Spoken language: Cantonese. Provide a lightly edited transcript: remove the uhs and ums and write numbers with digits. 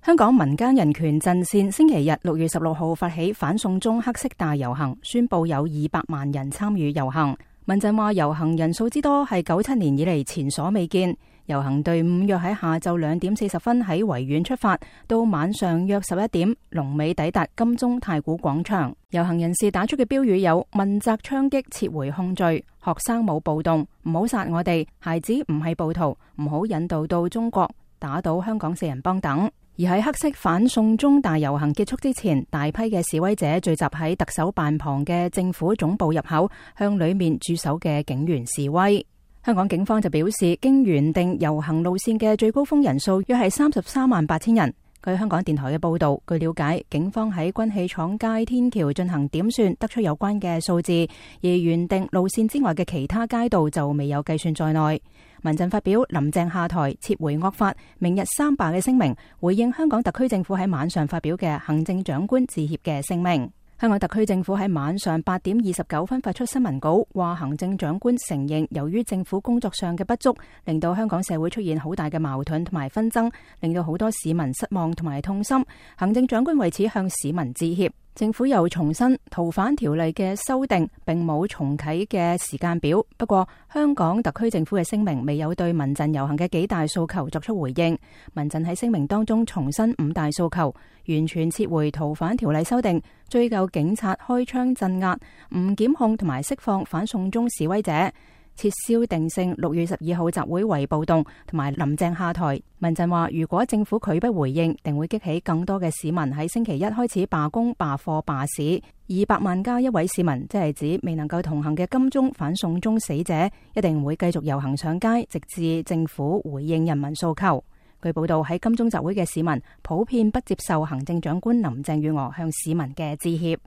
香港民間人權陣線星期日6月16號發起反送中黑色大遊行，宣布有200萬人參與遊行。民陣話遊行人數之多係97年以嚟前所未見。遊行隊伍約喺下晝2點40分喺維園出發，到晚上約11點龍尾抵達金鐘太古廣場。遊行人士打出嘅標語有問責槍擊撤回控罪、學生冇暴動、唔好殺我哋、孩子唔係暴徒、唔好引導到中國、打倒香港4人幫等。而喺黑色反送中大遊行結束之前，大批嘅示威者聚集喺特首辦旁嘅政府總部入口，向裏面駐守嘅警員示威。香港警方就表示，經原定遊行路線嘅最高峰人數約係338000人。據香港電台嘅報道，據了解，警方喺軍器廠街天橋進行點算，得出有關嘅數字，而原定路線之外嘅其他街道就未有計算在內。民陣發表林鄭下台、撤回惡法、明日三罷嘅聲明，回應香港特區政府喺晚上發表嘅行政長官致歉嘅聲明。香港特區政府喺晚上8點29分發出新聞稿，話行政長官承認由於政府工作上嘅不足，令到香港社會出現好大嘅矛盾同埋紛爭，令到好多市民失望同埋痛心。行政長官為此向市民致歉。政府又重申逃犯條例嘅修訂並冇重啟嘅時間表。不過，香港特區政府嘅聲明未有對民陣遊行嘅幾大訴求作出回應。民陣喺聲明當中重申5大訴求：完全撤回逃犯條例修訂、追究警察開槍鎮壓、唔檢控同埋釋放反送中示威者、撤銷定性6月12號集會為暴動，同埋林鄭下台。民陣話，如果政府拒不回應，定會激起更多嘅市民喺星期一開始罷工、罷課、罷市。200萬加一位市民，即係指未能夠同行嘅金鐘反送中死者，一定會繼續遊行上街，直至政府回應人民訴求。據報道，喺金鐘集會嘅市民普遍不接受行政長官林鄭月娥向市民嘅致歉。